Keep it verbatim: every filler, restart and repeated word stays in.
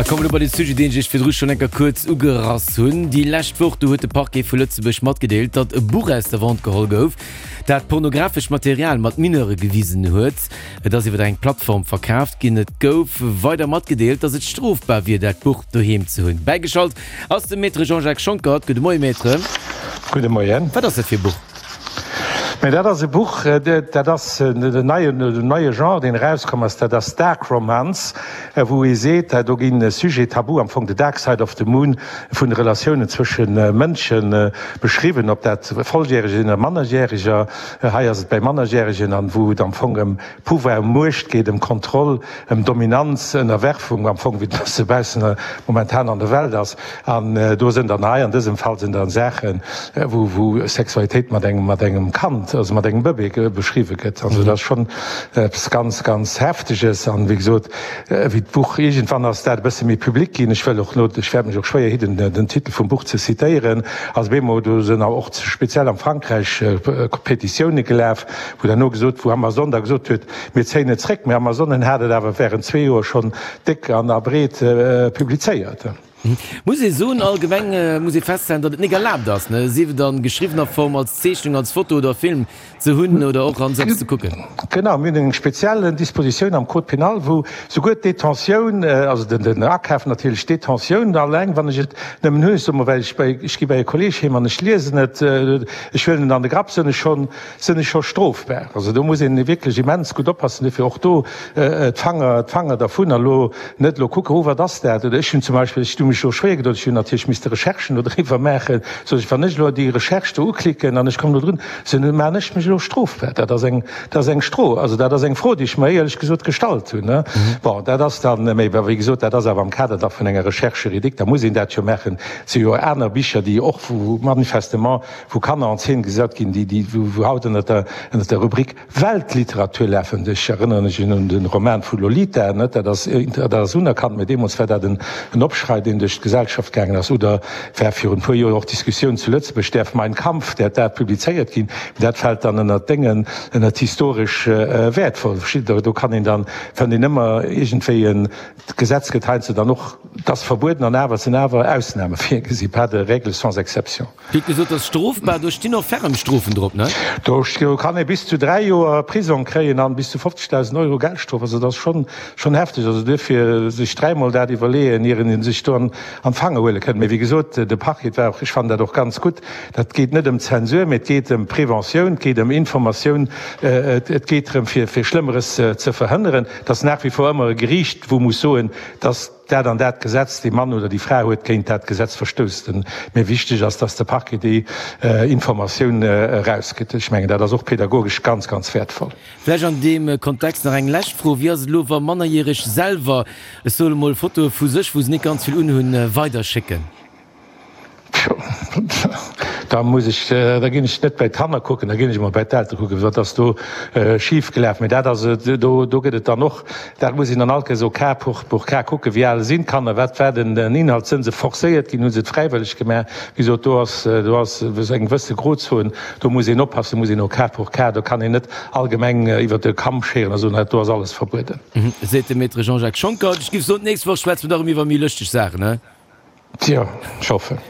A komme lo bei de Sujet, deen ech iech virdru schonn eng Kéier kuerz ugerass hunn. Déi lescht Woch, do huet de Parquet vu Lëtzebuerg matgedeelt, datt e Buch aus der Vente geholl gouf, dat pornografescht Material mat Mineure gewisen huet. Et ass iwwer eng Plattform verkaaft ginn. Et gouf weider matgedeelt, datt et strofbar wier, dat Buch doheem ze hunn. Bäigeschalt ass de Maître Jean-Jacques Schonckert. Gudde Moie Maître. Gudde Moien. Wat ass dat fir e Buch? Mä dat ass e Buch, dat ass den neien, den neie Genre, deen erauskomm ass, dat ass Dark Romance, wou ee seet, do ginn Sujets tabous, am Fong the dark side of the moon vun de Relatiounen zwësche Mënsche beschriwwen, ob dat Volljäreg sinn oder Mannerjäreger. Hei ass et bäi Mannerjäregen, an wou et am Fong ëm Pouvoir, ëm Muecht geet, ëm Kontroll, ëm Dominanz, Ënnerwerfung, am Fong wéi et e bësse baussen momentan an der Welt ass. An do sinn dann hei an dësem Fall sinn dann Saachen, wou wou Sexualitéit mat engem mat engem Kand, also mat engem Bëbee beschriwwe gëtt. Also dat ass schonn eppes ganz, ganz Hefteges. An wéi gesot, wéi d'Buch iergendwann ass dat e bësse méi public ginn, ech wëll och elo, ech wäert mech och schwéier hidden, den Titel vum Buch ze zitéieren, ass op eemol, do sinn och speziell am Frankräich Petitioune gelaf, wou dann no gesot, wou Amazon da gesot huet, mir zéien et zréck. Mee Amazon hat et awer während zwee Joer schonn déck an a breet publizéiert. Muss ee soen, allgemeng muss ee festhalen, datt et nik erlaabt ass, ne, sief et a geschriwwener Form, als Zeechnung, als Foto oder Film ze hunn oder och an selbst ze kucken. Genau, mir hunn eng speziell Dispositioun am Code pénal, wou souguer d'Detentioun, also den Akaf natierlech, d'Detentioun alleng, wann ech et nëmmen hunn, ech soe mol, well ech bei, ech gi bei e Kolleeg heem an ech liesen et, ech huelen et an de Grapp, sinn ech schonn, sinn ech scho strofbar. Also do muss een wierklech immens gutt oppassen, duerfir och do d'Fanger, d'Fanger dervun. A lo net elo kucken, oh wat ass dat, oder ech hunn zum Beispill, ech hu mech elo schwéier gedoen, ech hunn natierlech misste Recherchen do driwwer maachen, sot ech, wann ech elo déi Recherche do uklicken an ech kommen do drun, sou maachen ech mech elo strofbar. Dat ass eng, dat ass eng Stro, also dat ass eng Fro, déi ech mer éierlech gesot gestallt hunn, ne. Bon, dat ass dann, mä wéi gesot, dat ass awer am Kader da vun enger Recherche juridique, da muss een dat jo maachen. Et si jo aner Bicher, déi och, wou manifestement, wou Kanner en scène gesat ginn, déi, déi, wou haut ënnert der, ënnert der Rubrik Weltliteratur lafen. Ech erënneren mech un de Roman vu Lolita, net? Dat ass, dat ass unerkannt, mä deemools war dat en, en Opschrei, deen duerch d'Gesellschaft gaangen ass. Oder war virun e puer Joer och d'Diskussioun zu Lëtzebuerg, däerf Mein Kampf, däerf dat publizéiert ginn? Mä dat fält dann ënnert Déngen, ënnert historesch wäertvoll. Versteet Der? Do kann een dann, fënnt een ëmmer iergendwéi en, d'Gesetz gëtt heiansdo dann och, 't ass verbueden an awer, et sinn awer Ausname virgesi, pas de règle sans exception. Dir hutt gesot, dat ass strofbar. Do stinn och ferrem Strofen drop, ne? Do kann ee bis zu dräi Joer Prisong kréien an bis zu fofzegdausend Euro Geldstrof. Also dat ass schonn, schonn hefteg. Also duerfir sech dräimol dat iwwerleeën, ier een sech do an d'Fanger huele kënnt. Mee wéi gesot, de Parquet war och, ech fannen dat och ganz gutt, dat geet net ëm Zensur, mee et geet ëm Preventioun, et geet ëm Informatioun, et geet drëm fir fir Schlëmmeres ze verhënneren. Et ass nach wie vor ëmmer e Geriicht, wou muss soen, dass dat an dat Gesetz, dee Mann oder déi Fra huet géint dat Gesetz verstouss. Mee wichteg ass, dass de Parquet déi Informatioun erausgëtt. Ech mengen, dat ass och pädagogesch ganz, ganz wäertvoll. Vläicht an deem Kontext nach eng lescht Fro, Wéi ass et elo, wa Mannerjäreg selwer, ech soe mol, Fotoe vu sech, wou se net ganz vill unhunn, weiderschécken? Da muss ech, da ginn ech net bei d'Kanner kucken, da ginn ech emol bei d'Eltere kucken, wat ass do schif gelaf. Mee dat ass, do, do gëtt et dann och, dat muss een dann all Kéiers au cas pour, pour cas kucken, wéi al sinn d'Kanner, wat war den Inhalt, sënn se forcéiert ginn, hu se et fräiwëlleg gemaach. Wéi gesot, do ass, do ass eng gewësse Grozon, do muss een oppassen, muss een au cas pour cas, do kann een net allgemeng iwwert de Kamm scheren a soen, do ass alles verbueden. Seet de Maître Jean-Jacques Schonckert. Ech géif soen, d'nächst Woch schwätze mer da erëm iwwer méi lëschteg Saachen, he? Tjo, ech hoffen.